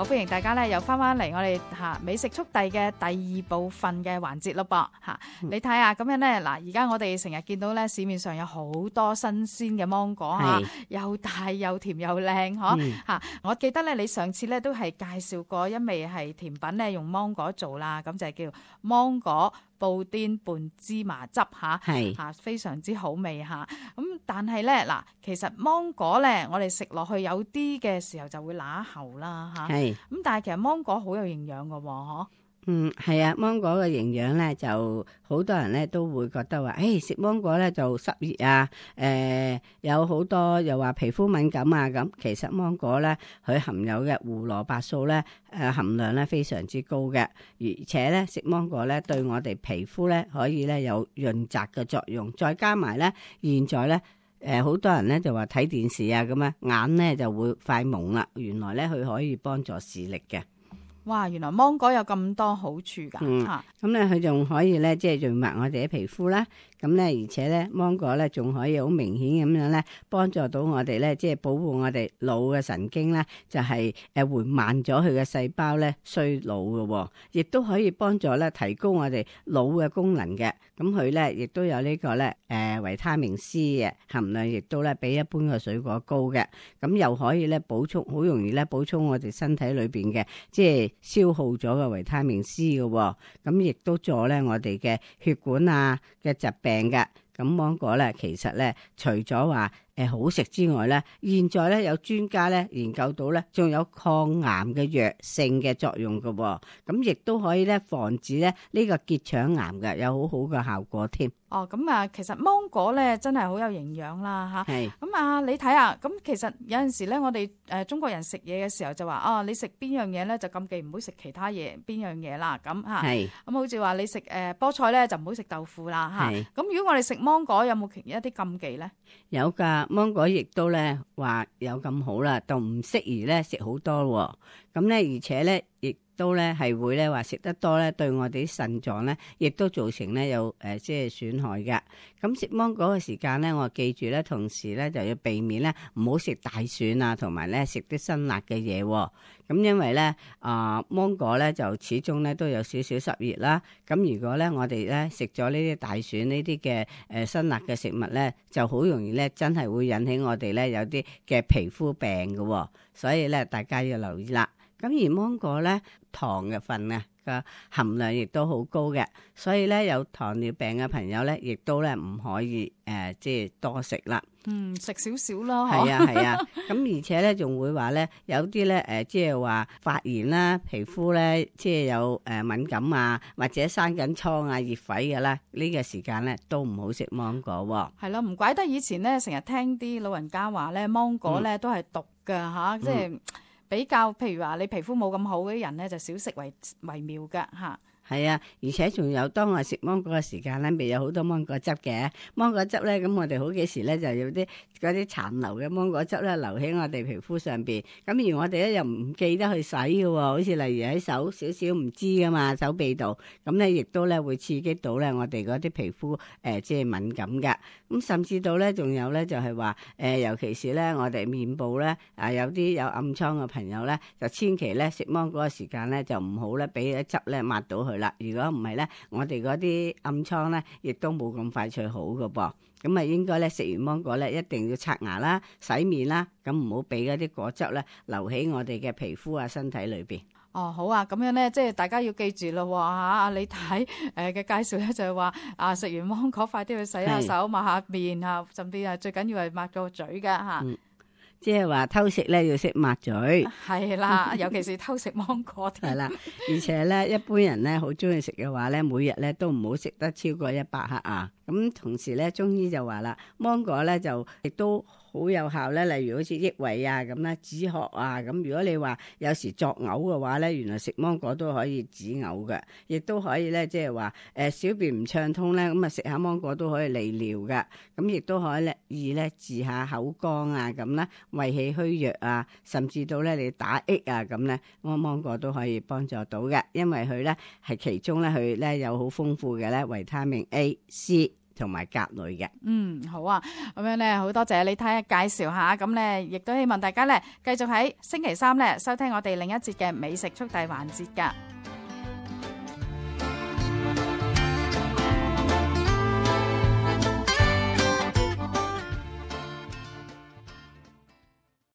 好歡迎大家咧又翻嚟我哋美食速遞嘅第二部分嘅環節咯噃嚇。你睇下咁樣咧嗱，而家我哋成日見到咧市面上有好多新鮮嘅芒果嚇，又大又甜又靚嗬嚇。我記得咧你上次咧都係介紹過一味係甜品咧用芒果做啦，咁就係叫芒果布甸拌芝麻汁嚇，非常之好味嚇。咁但係咧嗱，其實芒果咧我哋食落去有啲嘅時候就會乸喉啦嚇。咁但係其實芒果好有營養㗎喎，嗬。係啊，芒果嘅營養咧就好多人咧都會覺得話，食芒果咧就濕熱啊，有好多又話皮膚敏感啊咁。其實芒果咧佢含有嘅胡蘿蔔素咧含量咧非常之高嘅，而且咧食芒果咧對我哋皮膚咧可以咧有潤澤嘅作用，再加埋咧現在咧好多人咧就話睇電視啊咁啊，眼咧就會快蒙啦，原來咧佢可以幫助視力嘅。哇！原來芒果有咁多好處㗎嚇，咁咧佢仲可以咧即係潤滑我哋嘅皮膚啦。咁咧而且咧芒果咧仲可以好明顯咁樣咧幫助到我哋咧，即係保護我哋腦嘅神經咧，就係緩慢咗佢嘅細胞咧衰老嘅，亦都可以幫助咧提高我哋腦嘅功能嘅。咁佢咧亦都有呢個咧維他命 C 嘅含量，亦都咧比一般嘅水果高嘅。咁又可以咧補充，好容易咧補充我哋身體裏邊嘅即係消耗咗嘅維他命 C 嘅。咁亦都助咧我哋嘅血管啊嘅疾病嘅。咁芒果咧其實咧除咗話好食之外咧，現在咧有專家咧研究到咧仲有抗癌嘅藥性嘅作用嘅。咁亦都可以咧防止咧呢個結腸癌嘅，有好好嘅效果添。咁啊，其實芒果咧真係好有營養啦嚇。咁啊，你睇下，咁其實有陣時咧，我哋中國人食嘢嘅時候就話你食邊樣嘢咧就禁忌唔好食其他嘢邊樣嘢啦咁嚇。咁好似話你食菠菜咧就唔好食豆腐啦嚇。咁如果我哋食芒果有冇一啲禁忌咧？有㗎，芒果亦都咧話有咁好啦，就唔適宜咧食好多喎。咁咧而且咧亦都咧係會咧話食得多咧，對我哋啲腎臟咧，亦都造成咧有即係損害嘅。咁食芒果嘅時間咧，我記住咧，同時咧就要避免咧唔好食大蒜啊，同埋咧食啲辛辣嘅嘢。咁因為咧芒果咧就始終咧都有少少濕熱啦。咁如果咧我哋咧食咗呢啲大蒜呢啲嘅辛辣嘅食物咧，就好容易咧真係會引起我哋咧有啲嘅皮膚病嘅。所以咧大家要留意啦。咁而芒果咧糖嘅份嘅含量亦都好高嘅，所以咧有糖尿病嘅朋友咧，亦都咧唔可以即係多食啦。食少少啦。係啊。咁而且咧仲會話咧有啲咧即係話發炎啦，皮膚咧即係有敏感啊，或者生緊瘡啊、熱痱嘅啦，呢個時間咧都唔好食芒果。係咯，唔怪得以前咧成日聽啲老人家話咧，芒果咧都係毒㗎嚇，即係。比較譬如話你皮膚冇咁好嗰啲人咧，就少食為妙㗎嚇。係啊，而且仲有當我食芒果嘅時間咧，未有好多芒果汁嘅。芒果汁咧，咁我哋好幾時咧就有啲嗰啲殘留嘅芒果汁咧留喺我哋皮膚上邊。咁而我哋咧又唔記得去洗嘅喎，好似例如喺手少少唔知噶嘛，手臂度，咁咧亦都咧會刺激到咧我哋嗰啲皮膚即係敏感嘅。咁甚至到咧仲有咧就係話尤其是咧我哋面部咧有啲有暗瘡嘅朋友咧，就千祈咧食芒果嘅時間咧就唔好咧俾啲汁咧抹到佢啦。如果唔係咧，我哋嗰啲暗瘡咧亦都冇咁快脆好嘅噃。咁啊應該咧食完芒果咧一定要刷牙啦、洗面啦，咁唔好俾嗰啲果汁咧留喺我哋嘅皮膚啊、身體裏邊。好啊，咁樣咧，即係大家要記住咯嚇。李太嘅介紹咧就係話食完芒果快啲去洗下手、抹下面嚇，甚至係最緊要係抹個嘴㗎嚇。即係話偷食咧要識抹嘴。係啦，尤其是偷食芒果。係啦，而且咧一般人咧好中意食嘅話咧，每日咧都唔好食得超過100克啊。咁同時咧，中醫就話啦，芒果咧就亦都好有效咧，例如好似益胃啊咁啦、止渴啊咁。如果你話有時作嘔嘅話咧，原來食芒果都可以止嘔嘅，亦都可以咧即係話小便唔暢通咧，咁啊食下芒果都可以利尿嘅。咁亦都可以咧治下口乾啊咁啦，胃氣虛弱啊，甚至到咧你打嗝啊咁咧，芒果都可以幫助到嘅，因為佢咧係其中咧佢咧有好豐富嘅咧維他命 A、C。同埋甲類嘅。好啊，咁樣咧好多謝你睇下介紹下，咁咧亦都希望大家咧繼續喺星期三咧收聽我哋另一節嘅美食速遞環節㗎。